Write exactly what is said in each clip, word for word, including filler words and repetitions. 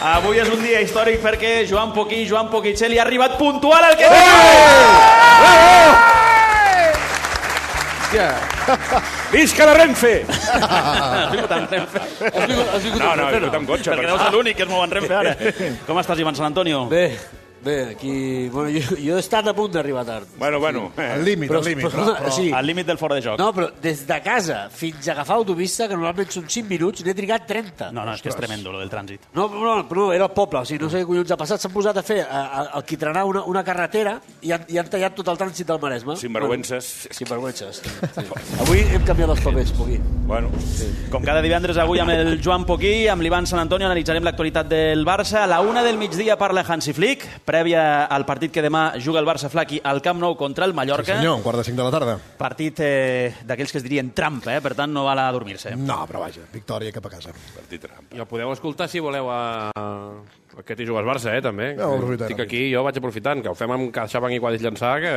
Avui és un dia històric perquè Joan Poquí, Joan Poquicelli ha arribat puntual al que... Visca la Renfe! Has vingut amb Renfe? No, no, he vingut amb cotxe. Perquè deus ser l'únic que es mou en Renfe ara. Com estàs, Ivan Sant Antonio? Bé, bé, aquí... Bueno, jo, jo he estat a punt d'arribar tard. Bueno, bueno. Al límit, al límit. Però, però, sí. Al límit del fora de joc. No, però des de casa fins a agafar autopista, que normalment són cinc minuts, n'he trigat trenta. No, no, és que és tremendo, lo del trànsit. No, no, però era el poble, o sigui, no sé què collons ha passat. S'han posat a fer, a, a, a quitrenar una, una carretera i han, i han tallat tot el trànsit del Maresme. Sinvergüences. Bueno, sinvergüences. Sí. Avui hem canviat els papers, Poquí. Bueno. Sí. Com cada divendres, avui amb el Joan Poquí, amb l'Ivan Sant Antonio, analitzarem l'actualitat del Barça. A la una del migdia parla Hansi Flick, prèvia al partit que demà juga el Barça Flaqui al Camp Nou contra el Mallorca. Sí, senyor, un quart de cinc de la tarda. Partit eh, d'aquells que es dirien trampa, eh? Per tant no val a dormir-se. No, però vaja, victòria cap a casa. Partit trampa. I el podeu escoltar si voleu a... Aquest hi jugues Barça, eh, també. Ja, Estic aquí, jo vaig aprofitant, que ho fem amb CaixaBank i Quadris Llançà, que,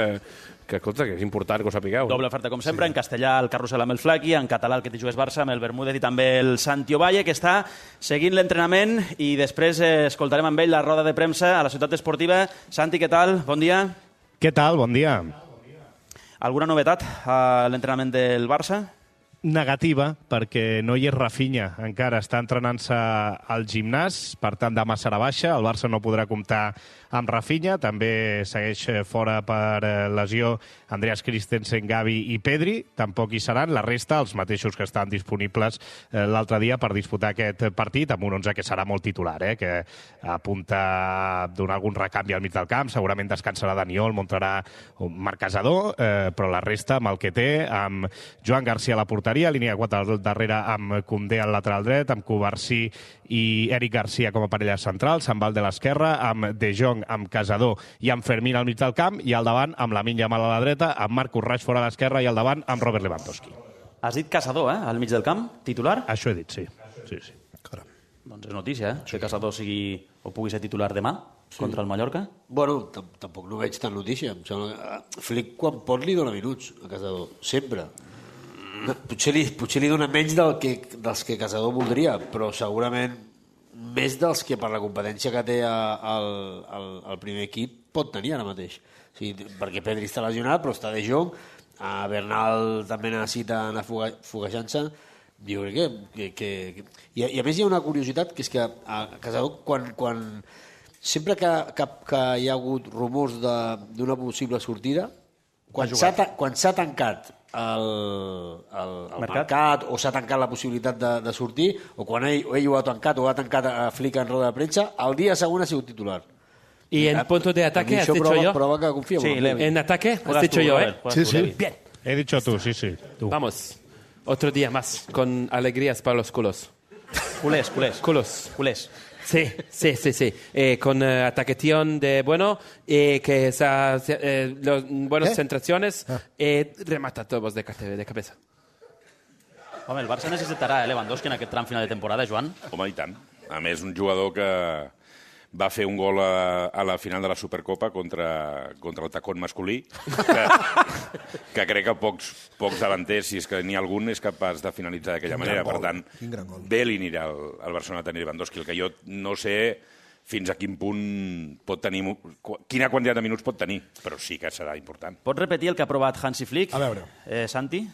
que, escolta, que és important que ho sapigueu. Doble oferta, com sempre, sí. En castellà el Carrusel amb el Flaqui, en català el que t'hi jugues Barça amb el Bermúdez i també el Santi Ovalle, que està seguint l'entrenament i després eh, escoltarem amb ell la roda de premsa a la ciutat esportiva. Santi, què tal? Bon dia. Què tal? Bon dia. Alguna novetat a l'entrenament del Barça? Negativa, perquè no hi és Rafinha. Encara està entrenant-se al gimnàs, per tant demà serà baixa. El Barça no podrà comptar amb Rafinha. També segueix fora per lesió Andreas Christensen, Gavi i Pedri. Tampoc hi seran. La resta, els mateixos que estan disponibles l'altre dia per disputar aquest partit, amb un onze que serà molt titular, eh? Que apunta a donar algun recanvi al mig del camp. Segurament descansarà Daniol, muntarà un Marc Casador, eh, però la resta amb el que té, amb Joan Garcia a la porteria, línia quatre al darrere amb Koundé al lateral dret, amb Cubarsí i Eric Garcia com a parella central, Sant Val de l'esquerra, amb De Jong, amb Casador i amb Fermín al mig del camp, i al davant amb Lamine Yamal a la dreta, amb Marcus Rashford a l'esquerra i al davant amb Robert Lewandowski. Has dit Casador, eh? Al mig del camp, titular? Això he dit, sí. sí, sí. Caram. Doncs és notícia, eh? Que Casador sigui o pugui ser titular demà sí. Contra el Mallorca. Bueno, tampoc no veig tan notícia. Em sembla que Flick, quan pot, li dona minuts a Casador. Sempre. Potser li, potser li dona menys del que, dels que Casador voldria, però segurament més dels que per la competència que té el, el, el primer equip pot tenir ara mateix. O sigui, perquè Pedri està lesionat, però està De Jong, a Bernal també necessita anar foguejant-se. Jo crec que... que, que... I, I a més hi ha una curiositat, que és que a Casador, quan, quan... sempre que, que, que hi ha hagut rumors d'una possible sortida, quan s'ha tancat el, el, el mercat. mercat o s'ha tancat la possibilitat de, de sortir, o quan ell, ell ho ha tancat o ha tancat a Flick en roda de premsa, el dia següent ha sigut titular. ¿Y en punto de ataque has dicho prova, yo? Prova que confío. Sí, en ataque has dicho yo, ¿eh? Sí, sí. Bien. He dicho tú, sí, sí. Tú. Vamos. Otro día más, con alegrías para los culos. Culés, culés. Culos. Culés. Sí, sí, sí, sí. Eh, con uh, ataqueción de bueno, eh, que esa, eh, los buenas ¿Eh? centraciones, ah. eh, remata todos de, de cabeza. Home, el Barça necessitarà eh, Lewandowski en aquest tram final de temporada, Joan. Home, i tant. A més, un jugador que va fer un gol a, a la final de la Supercopa contra, contra el tacón masculí, que, que crec que pocs, pocs davanters, si és que n'hi ha algun, és capaç de finalitzar d'aquella manera. Per tant, bé li anirà al, al Barcelona tenir Lewandowski. El que jo no sé fins a quin punt pot tenir... Quina quantitat de minuts pot tenir, però sí que serà important. Pots repetir el que ha aprovat Hansi Flick? A veure. Eh, Santi?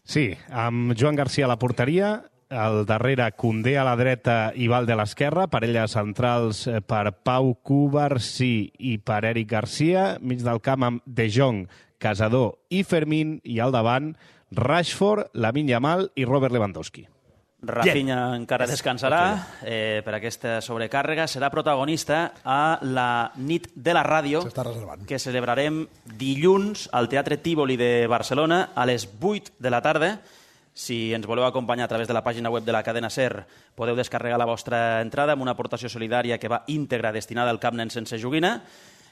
Sí, amb Joan Garcia a la porteria, al darrere Koundé a la dreta i Valde a l'esquerra, parelles centrals per Pau Cubarsí i per Eric Garcia, mig del camp amb De Jong, Casador i Fermín, i al davant Rashford, Lamine Yamal i Robert Lewandowski. Rafinha Bien. encara descansarà eh, per aquesta sobrecàrrega. Serà protagonista a la nit de la ràdio que celebrarem dilluns al Teatre Tívoli de Barcelona a les vuit de la tarda. Si ens voleu acompanyar a través de la pàgina web de la cadena SER, podeu descarregar la vostra entrada amb una aportació solidària que va íntegra destinada al cap nen sense joguina.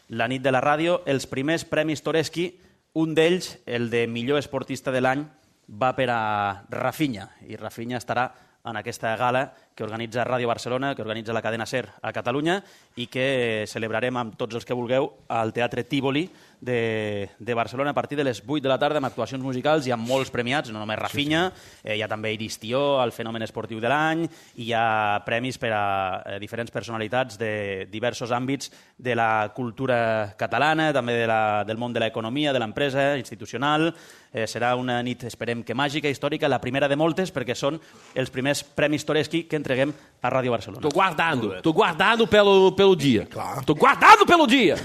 La nit de la ràdio, els primers premis Toreski, un d'ells, el de millor esportista de l'any, va per a Rafinha, i Rafinha estarà en aquesta gala que organitza Ràdio Barcelona, que organitza la cadena SER a Catalunya i que celebrarem amb tots els que vulgueu al Teatre Tívoli de, de Barcelona a partir de les vuit de la tarda amb actuacions musicals i amb molts premiats, no només Rafinha, sí, sí. Eh, hi ha també Iris Tió, el fenomen esportiu de l'any, i hi ha premis per a eh, diferents personalitats de diversos àmbits de la cultura catalana, també de la, del món de l'economia, de l'empresa, institucional. Eh, serà una nit, esperem que màgica, històrica, la primera de moltes, perquè són els primers premis Toreschi que entreguem a Ràdio Barcelona. Tô guardando, tô guardando pelo, pelo dia. Claro. Tô guardado pelo dia.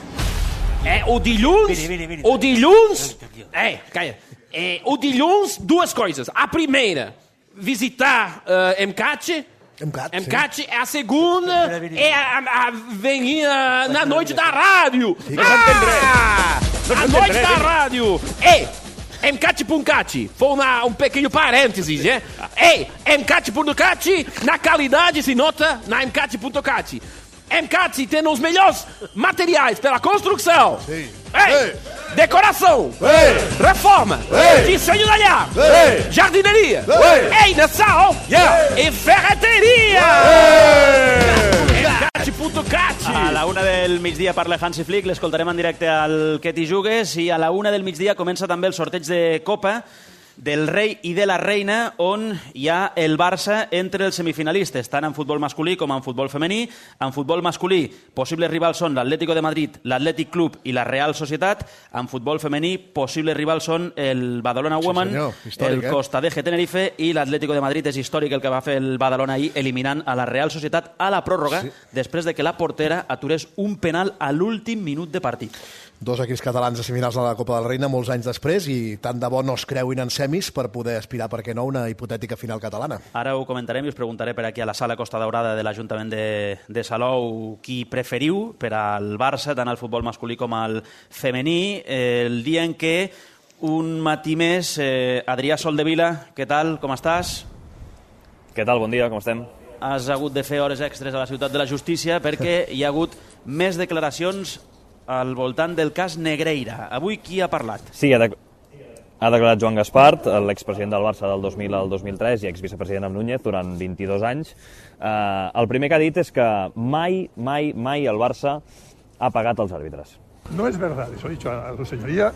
É, o dilluns... Vini, vini, vini. O dilluns... É, calla. É, o dilluns, duas coisas. A primeira, visitar uh, M C A T. M C A T, M C A T. É a segunda, é a, a avenida na noite da rádio. Ah! A noite da rádio. Ei, M C A T Puncati. Foi uma, um pequeno parênteses, né? Ei, M C A T Puncati, na qualidade se nota na M C A T Puncati. M C A T tem os melhores materiais pela construção. Sim. Ei, Ei. Decoração. Ei. Reforma. Ei. Desenho da lhar. Ei. Jardineria. Ei. Ei, Nassau. Yeah. E ferreteria. M C A T Puncati. A la una del migdia parla Hansi Flick, l'escoltarem en directe al Que t'hi jugues, i a la una del migdia comença també el sorteig de Copa del rei i de la reina, on hi ha el Barça entre els semifinalistes, tant en futbol masculí com en futbol femení. En futbol masculí, possibles rivals són l'Atlético de Madrid, l'Atlètic Club i la Real Societat. En futbol femení, possibles rivals són el Badalona Women, sí, senyor, històric, el Costa d'Eje Tenerife i l'Atlético de Madrid. És històric el que va fer el Badalona ahir, eliminant a la Real Societat a la pròrroga, sí, després de que la portera aturés un penal a l'últim minut de partit. Dos equips catalans a semifinals de la Copa de la Reina molts anys després, i tant de bo no es creuin en semis per poder aspirar, per què no, una hipotètica final catalana. Ara ho comentarem i us preguntaré per aquí a la sala Costa Daurada de l'Ajuntament de, de Salou qui preferiu per al Barça, tant al futbol masculí com al femení. Eh, el dia en què un matí més, eh, Adrià Soldevila, què tal, com estàs? Què tal, bon dia, com estem? Has hagut de fer hores extres a la Ciutat de la Justícia perquè hi ha hagut més declaracions al voltant del cas Negreira. Avui qui ha parlat? Sí, ha, de... ha declarat Joan Gaspart, l'expresident del Barça del dos mil al dos mil tres i exvicepresident amb Núñez durant vint-i-dos anys. Eh, el primer que ha dit és que mai, mai, mai el Barça ha pagat els àrbitres. No es verdad, eso he dicho a su señoría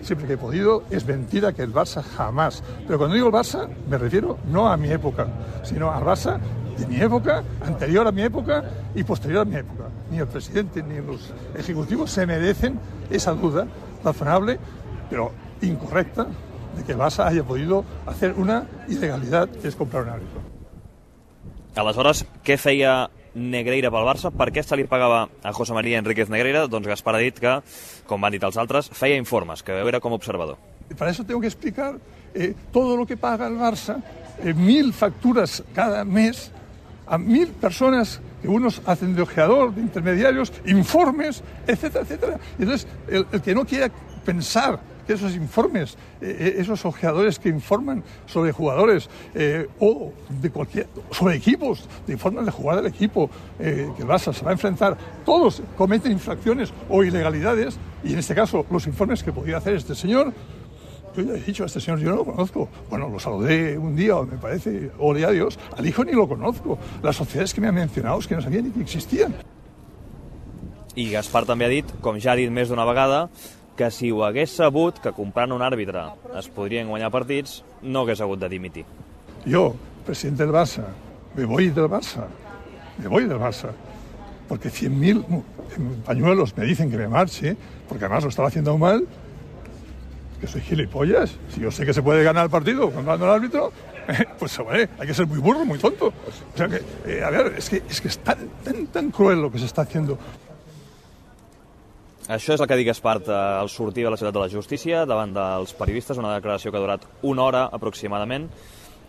siempre que he podido, es mentira que el Barça jamás. Pero cuando digo el Barça, me refiero no a mi época, sino al Barça de mi época, anterior a mi época y posterior a mi época. Ni el presidente ni los ejecutivos se merecen esa duda razonable, pero incorrecta, de que el Barça haya podido hacer una ilegalidad, que es comprar un árbitro. Aleshores, què feia Negreira pel Barça? Per què se li pagava a José María Enríquez Negreira? Doncs Gaspar ha dit que, com van dit els altres, feia informes, que era com observador. Para eso tengo que explicar eh, todo lo que paga el Barça, eh, mil facturas cada mes, a mil personas que unos hacen de ojeador, de intermediarios, informes, etcétera, etcétera. Y entonces, el, el que no quiera pensar que esos informes, eh, esos ojeadores que informan sobre jugadores eh, o de cualquier, sobre equipos, de informan de jugar del equipo, eh, que el Barça se va a enfrentar, todos cometen infracciones o ilegalidades, y en este caso los informes que podía hacer este señor, yo ya he dicho a este señor, yo no lo conozco. Bueno, lo saludé un día, me parece, ole a Dios, al hijo ni lo conozco. Las sociedades que me han mencionado es que no sabía ni que existían. I Gaspar també ha dit, com ja ha dit més d'una vegada, que si ho hagués sabut que comprant un àrbitre es podrien guanyar partits, no hagués hagut de dimitir. Yo, presidente del Barça, me voy del Barça, me voy del Barça, porque cien mil pañuelos me dicen que me marche, porque además lo estaba haciendo mal, que soy gilipollas. Si yo sé que se puede ganar el partido comprando al árbitro, eh, pues hombre, hay que ser muy burro, muy tonto. O sea que, eh, a ver, es que, es que es tan, tan, tan cruel lo que se está haciendo. Això és el que ha dit Gaspart al sortir de la Ciutat de la Justícia davant dels periodistes, una declaració que ha durat una hora aproximadament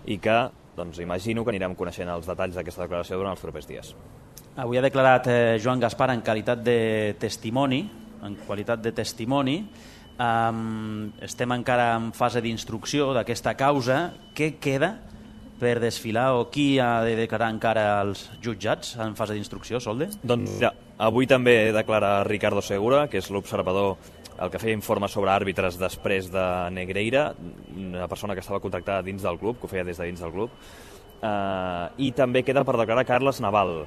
i que, doncs, imagino que anirem coneixent els detalls d'aquesta declaració durant els propers dies. Avui ha declarat eh, Joan Gaspar en qualitat de testimoni, en qualitat de testimoni. Um, estem encara en fase d'instrucció d'aquesta causa. Què queda per desfilar o qui ha de declarar encara als jutjats en fase d'instrucció, Solde? Doncs ja, avui també declara Ricardo Segura, que és l'observador, el que feia informes sobre àrbitres després de Negreira, una persona que estava contractada dins del club, que ho feia des de dins del club, eh, i també queda per declarar Carles Naval,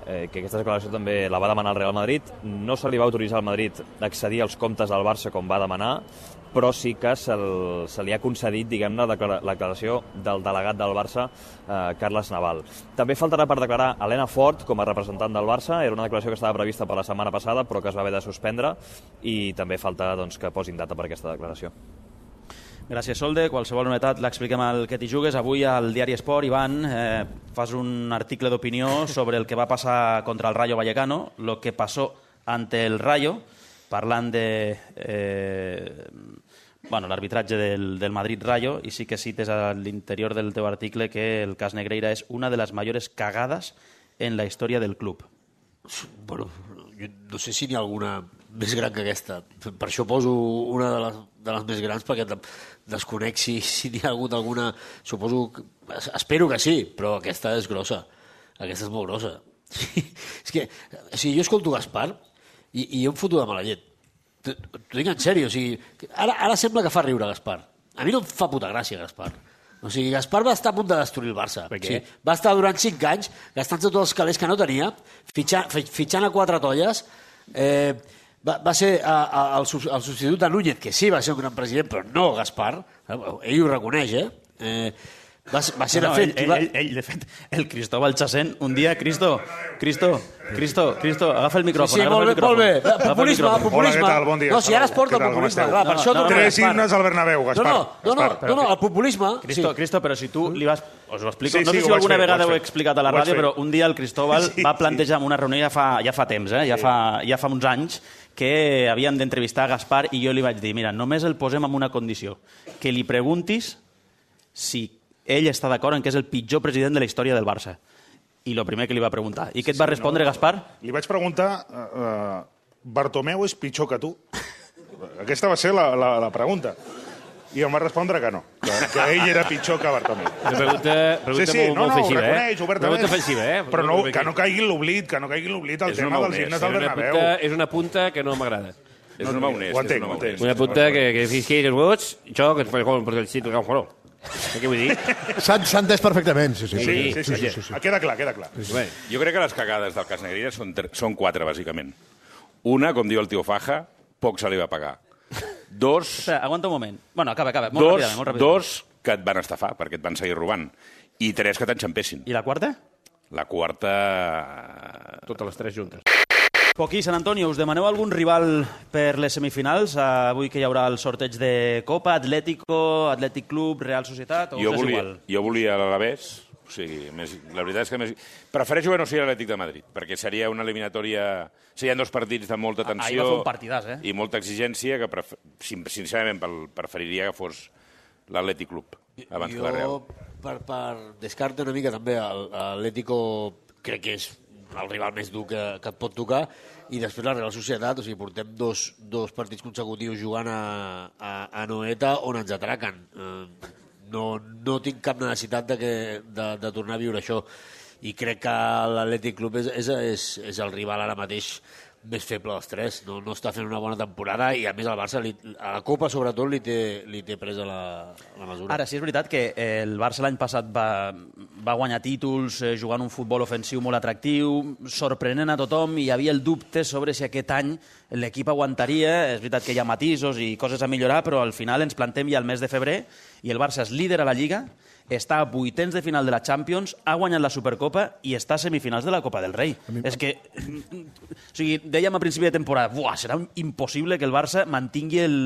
eh, que aquesta declaració també la va demanar el Real Madrid. No se li va autoritzar al Madrid accedir als comptes del Barça com va demanar, però sí que se, se li ha concedit, diguem-ne, la declaració del delegat del Barça, eh, Carles Naval. També faltarà per declarar Elena Fort com a representant del Barça. Era una declaració que estava prevista per la setmana passada, però que es va haver de suspendre, i també falta doncs, que posin data per aquesta declaració. Gràcies, Solde. Qualsevol novetat l'expliquem al Que t'hi jugues. Avui al Diari Esport, Ivan, eh, fas un article d'opinió sobre el que va passar contra el Rayo Vallecano, lo que pasó ante el Rayo, parlant de eh, bueno, l'arbitratge del, del Madrid-Rayo, i sí que cites a l'interior del teu article que el cas Negreira és una de les mayores cagades en la història del club. Bueno, jo no sé si n'hi ha alguna més gran que aquesta. Per això poso una de les, de les més grans, perquè desconec si, si n'hi ha hagut alguna... Suposo que, espero que sí, però aquesta és grossa. Aquesta és molt grossa. És que, o sigui, jo escolto Gaspar i, i jo em foto de mala llet. T'ho dic en sèrio. O sigui, ara, ara sembla que fa riure Gaspar. A mi no em fa puta gràcia Gaspar. O sigui, Gaspar va estar a punt de destruir el Barça. Per què? O sigui, va estar durant cinc anys gastant-se tots els calés que no tenia, fitxant, fitxant a quatre tolles. Eh, va, va ser a, a, el, el substitut de Núñez, que sí va ser un gran president, però no Gaspar. Ell ho reconeix, eh? eh Va, va ser, no, de fet... Ell, va... ell, ell, de fet, el Cristóbal Chasén, un dia, Cristo, Cristo, Cristo, Cristo, agafa el micròfon. Sí, sí, molt bé, molt bé. Populisme, populisme. Hola, què tal? Bon dia. No, si ara es porta el populisme. Clar, per això no, Tres himnes al Bernabéu, Gaspar. No, no, no, no, no, el populisme... Cristo, Cristo, però si tu li vas... Us ho explico. Sí, No sé sí, si ho alguna vaig fer, vegada ho ho he vaig fer. explicat a la Ho vaig ràdio, fer. però un dia el Cristóbal Sí, va sí. plantejar en una reunió ja fa, ja fa temps, eh? ja, fa, ja fa uns anys, que havien d'entrevistar a Gaspar, i jo li vaig dir, mira, només el posem en una condició, que li preguntis si ell està d'acord en que és el pitjor president de la història del Barça. I el primer que li va preguntar. I què et va respondre, Gaspar? Li vaig preguntar, uh, Bartomeu és pitjor que tu? Aquesta va ser la, la, la pregunta. I em va respondre que no, que, que ell era pitjor que Bartomeu. Una pregunta, pregunta Sí, sí, molt, no, molt no, ho ofensiva, reconeix, eh? obertament. Pregunta ofensiva, eh? Però no, que no caigui en l'oblit, que no caigui en l'oblit el És tema un dels maonès, himnes És del una, Bernabéu. punta, és una punta que no m'agrada. És un maonès. Ho entenc, és un ho entenc. maonès. Una punta que, que fisqui els vots, això que es fa com per el sitio que un què vull dir? S'ha s'ha entès perfectament, sí, sí. Sí, sí, sí, sí, sí, sí. Queda clar, queda clar. Bé, Jo crec que les cagades del cas Negreira són, tre- són quatre, bàsicament. Una, com diu el tio Faja, poc se li va pagar. Dos, Espera, aguanta un moment. Bueno, acaba, acaba. Molt dos, ràpidament, molt ràpidament. dos que et van estafar, perquè et van seguir robant. I tres, que t'enxampessin. I la quarta? La quarta... totes les tres juntes. Poquí, Sant Antonio, us demaneu algun rival per les semifinals? Avui que hi haurà el sorteig de Copa, Atlético, Atlètic Club, Real Societat, o Jo us és volia, igual? jo volia l'Alavés, o sigui, més, la veritat és que més... prefereixo que no sigui l'Atlètic de Madrid, perquè seria una eliminatòria... Serien dos partits de molta Ah, tensió ahir va fer un partidàs, eh? i molta exigència, que pref... sin- sincerament pel- preferiria que fos l'Atlètic Club abans que la Real. Jo, per, per descarte una mica també, l'Atlético crec que és el rival més dur que, que et pot tocar, i després la Real Societat, o sigui, portem dos, dos partits consecutius jugant a, a, a Noeta on ens atraquen. Eh, no, no tinc cap necessitat de, que, de, de tornar a viure això, i crec que l'Atlètic Club és, és, és, és el rival ara mateix més feble dels tres. No, no està fent una bona temporada, i a més el Barça, li, a la Copa sobretot, li té, li té presa la, la mesura. Ara, sí és veritat que el Barça l'any passat va, va guanyar títols eh, jugant un futbol ofensiu molt atractiu, sorprenent a tothom, i hi havia el dubte sobre si aquest any l'equip aguantaria. És veritat que hi ha matisos i coses a millorar, però al final ens plantem ja el mes de febrer i el Barça és líder a la Lliga, està a vuitens de final de la Champions, ha guanyat la Supercopa i està a semifinals de la Copa del Rei. És que, o sigui, dèiem a principi de temporada, buah, serà impossible que el Barça mantingui el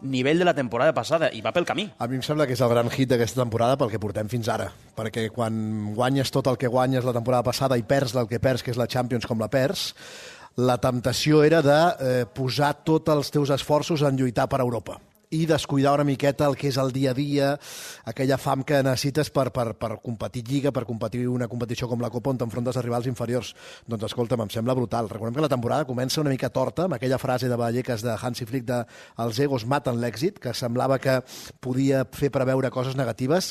nivell de la temporada passada, i va pel camí. A mi em sembla que és el gran hit d'aquesta temporada pel que portem fins ara, perquè quan guanyes tot el que guanyes la temporada passada i perds el que perds, que és la Champions com la perds, la temptació era de eh, posar tots els teus esforços en lluitar per Europa i descuidar una miqueta el que és el dia a dia, aquella fam que necessites per, per, per competir Lliga, per competir una competició com la Copa on t'enfrontes a rivals inferiors. Doncs escolta'm, em sembla brutal. Recordem que la temporada comença una mica torta, amb aquella frase de Vallecas de Hansi Flick de els egos maten l'èxit, que semblava que podia fer preveure coses negatives.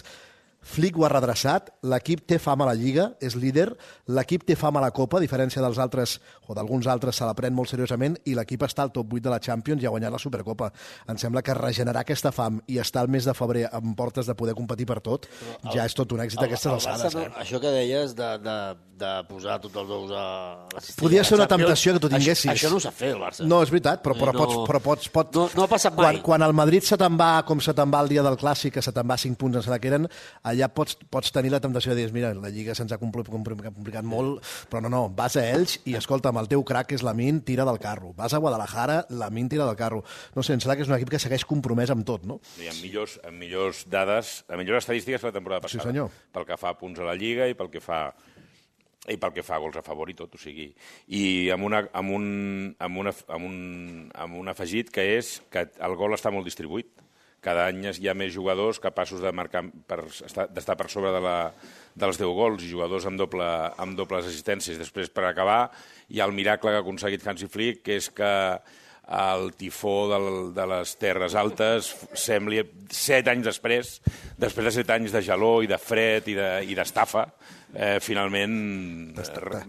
Flick ho ha redreçat, l'equip té fam a la Lliga, és líder, l'equip té fam a la Copa, a diferència dels altres, o d'alguns altres, se la pren molt seriosament, i l'equip està al top vuit de la Champions i ha guanyat la Supercopa. Em sembla que regenerar aquesta fam i estar al mes de febrer amb portes de poder competir per tot, el, ja és tot un èxit el, aquestes el alçades. No, eh? Això que deies de, de, de posar tots els ous a la cistella... Podria ser una temptació que tu tinguessis. Això, això no ho sap fer, el Barça. No, és veritat, però, però, no, pots, però pots... pots no, no ha passat mai. Quan, quan el Madrid se te'n va, com se te'n va el dia del Clàssic, que se te'n va cinc punts, en la que eren, allà pots, pots tenir la temptació de dir, mira, la Lliga se'ns ha complicat molt, però no, no, vas a ells i, escolta'm, el teu crac és Lamine, tira del carro. Vas a Guadalajara, Lamine tira del carro. No sé, em sembla que és un equip que segueix compromès amb tot, no? I amb millors, amb millors dades, amb millors estadístiques que la temporada passada. Sí, senyor. Pel que fa a punts a la Lliga i pel que fa i pel que fa a gols a favor i tot, o sigui... I amb, una, amb, un, amb, una, amb, un, amb un afegit que és que el gol està molt distribuït. Cada any hi ha més jugadors capaços de marcar per estar, d'estar per sobre de la, dels deu gols i jugadors amb, doble, amb dobles assistències. Després, per acabar, hi ha el miracle que ha aconseguit Hansi Flick, que és que el tifó del, de les Terres Altes sembli set anys després, després de set anys de gelor i de fred i d'estafa, eh, finalment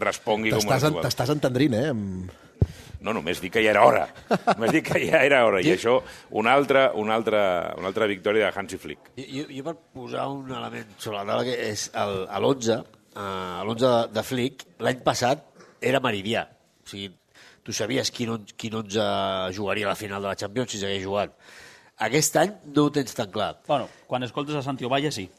respongui com un jugador. T'estàs entendrint, eh? No, només dic que ja era hora. Només dic que ja era hora. I això, una altra, una altra, una altra victòria de Hansi Flick. Jo, jo per posar un element sobre la taula, que és el, a l'onze, a l'onze de, de Flick, l'any passat era meridià. O sigui, tu sabies quin, on, quin onze jugaria a la final de la Champions si s'hagués jugat. Aquest any no ho tens tan clar. Bueno, quan escoltes a Santi Ovalle, sí.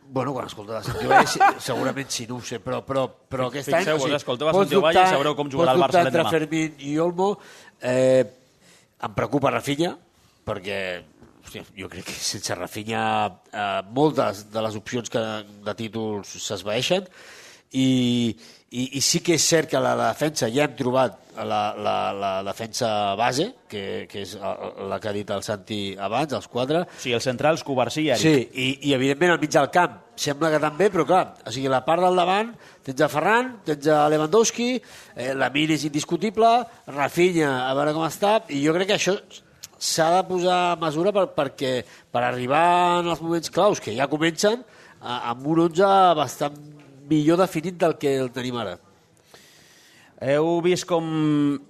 Bueno, quan escolta la Santi Ovalle, segurament sí, no ho sé, però, però, però aquest any... Fixeu-vos, o sigui, escolteu a Santi Ovalle i sabreu com jugarà el Barça l'endemà. Pots dubtar entre Fermín i Olmo. Eh, em preocupa Rafinha, perquè hòstia, jo crec que sense Rafinha eh, moltes de les opcions que, de títols s'esvaeixen, i, i, i sí que és cert que a la defensa ja hem trobat la, la, la defensa base, que, que és la que ha dit el Santi abans, els quatre. Sí, els centrals, Covarsí i Eric. Sí, i, i evidentment al mig del camp sembla que també, però clar, o sigui, la part del davant tens a Ferran, tens a Lewandowski, eh, Lamine és indiscutible, Rafinha, a veure com està, i jo crec que això s'ha de posar a mesura per, perquè, per arribar en els moments claus, que ja comencen, a, amb un onze bastant millor definit del que el tenim ara. Heu vist com,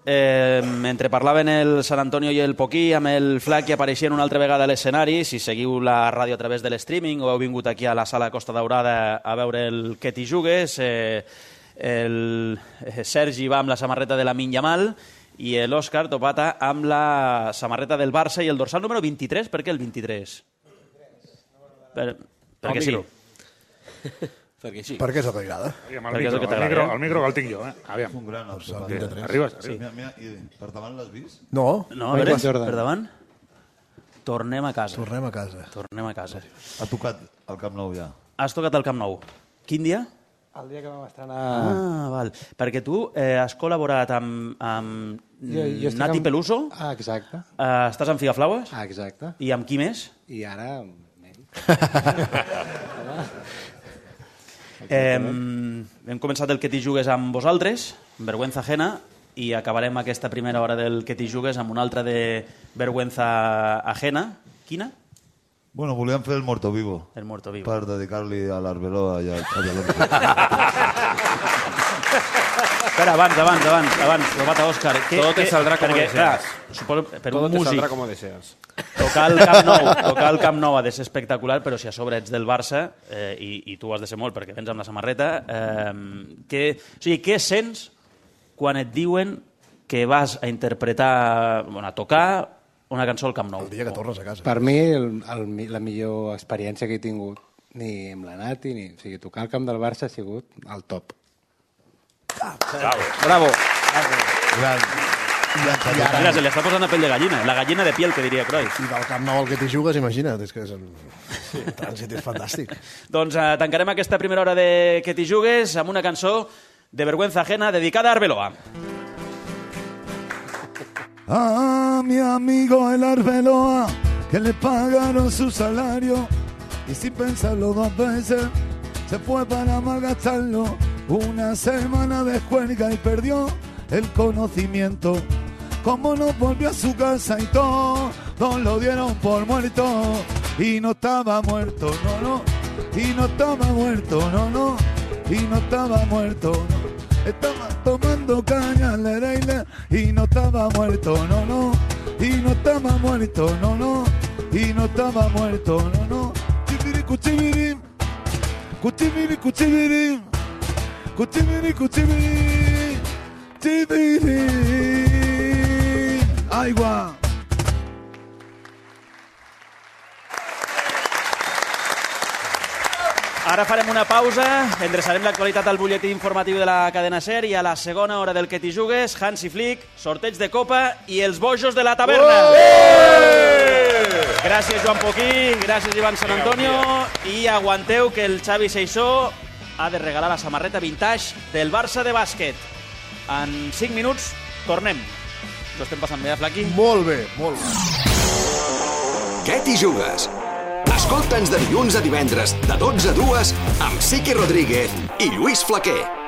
eh, mentre parlaven el San Antonio i el Poquí, amb el Flac, que apareixien una altra vegada a l'escenari, si seguiu la ràdio a través de l'streaming o heu vingut aquí a la sala Costa Daurada a veure el Que t'hi jugues, eh, el Sergi va amb la samarreta de Lamine Yamal i l'Òscar Topata amb la samarreta del Barça i el dorsal número vint-i-tres. Per què el vint-i-tres? Per, perquè sí. Perquè sí. Perquè és el que agrada. Aviam, el, micro, el, micro, el micro que el tinc jo, eh? Aviam. Un gran Arribes, arribes. Sí. Mira, mira, i per davant l'has vist? No. No, a veure, per davant. Tornem a casa. Tornem a casa. Tornem a casa. Ha tocat el Camp Nou ja. Has tocat el Camp Nou. Quin dia? El dia que vam estrenar... Ah, val. Perquè tu eh, has col·laborat amb, amb jo, jo Nati amb... Peluso. Ah, exacte. Eh, estàs amb Figaflaues. Ah, exacte. I amb qui més? I ara... eh, hem començat el Que t'hi jugues amb vosaltres, Vergüenza Ajena, i acabarem aquesta primera hora del Que t'hi jugues amb una altra de Vergüenza Ajena. Quina? Bueno, volíem fer el Muerto Vivo. El Muerto Vivo. Per dedicar-li a l'Arbeloa i a Alonso. Espera, abans, abans, abans, abans, Lobata Òscar. Todo te saldrá como perquè, deseas. Clar, suposo, per Todo un te músic, saldrá como deseas. tocar el Camp Nou, tocar el Camp Nou ha de ser espectacular, però si a sobre ets del Barça, eh, i, i tu has de ser molt perquè vens amb la samarreta, eh, que, o sigui, què sents quan et diuen que vas a interpretar, bueno, a tocar una cançó al Camp Nou? El dia que tornes a casa. Per mi, el, el, la millor experiència que he tingut, ni amb la Nati, ni... O sigui, tocar al camp del Barça ha sigut el top. Bravo. Bravo. Gran. Mira, se li està posant la pell de gallina. La gallina de piel, que diria Cruyff. I del Camp Nou al Que t'hi jugues, imagina't, és que és el... sí, el trànsit és fantàstic. Doncs eh, tancarem aquesta primera hora de Que t'hi jugues amb una cançó de Vergüenza Ajena dedicada a Arbeloa. A mi amigo el Arbeloa, que le pagaron su salario y sin pensarlo dos veces se fue para malgastarlo. Una semana de juerga y perdió el conocimiento. Como no volvió a su casa y todo, todos lo dieron por muerto. Y no estaba muerto, no, no, y no estaba muerto, no, no, y no estaba muerto, no. Estaba tomando caña, lereile, y no estaba muerto, no, no, y no estaba muerto, no, no, y no estaba muerto, no, no. Chibiri, cuchibiri, cuchibiri, cuchibiri, cuchibiri, cuchibiri, chibiri, aigua. Ara farem una pausa, endreçarem l'actualitat al butlletí informatiu de la cadena SER i a la segona hora del Que t'hi jugues, Hansi Flick, sorteig de Copa i els bojos de la taverna. Gràcies, Joan Poquí, gràcies, Ivan San Antonio, i aguanteu que el Xavi Seixó ha de regalar la samarreta vintage del Barça de bàsquet. En cinc minuts tornem. Ho estem passant bé, Flaqui? Molt bé, molt bé. Què t'hi jugues? Escolta'ns de dilluns a divendres, de dotze a dues, amb Siqui Rodríguez i Lluís Flaquer.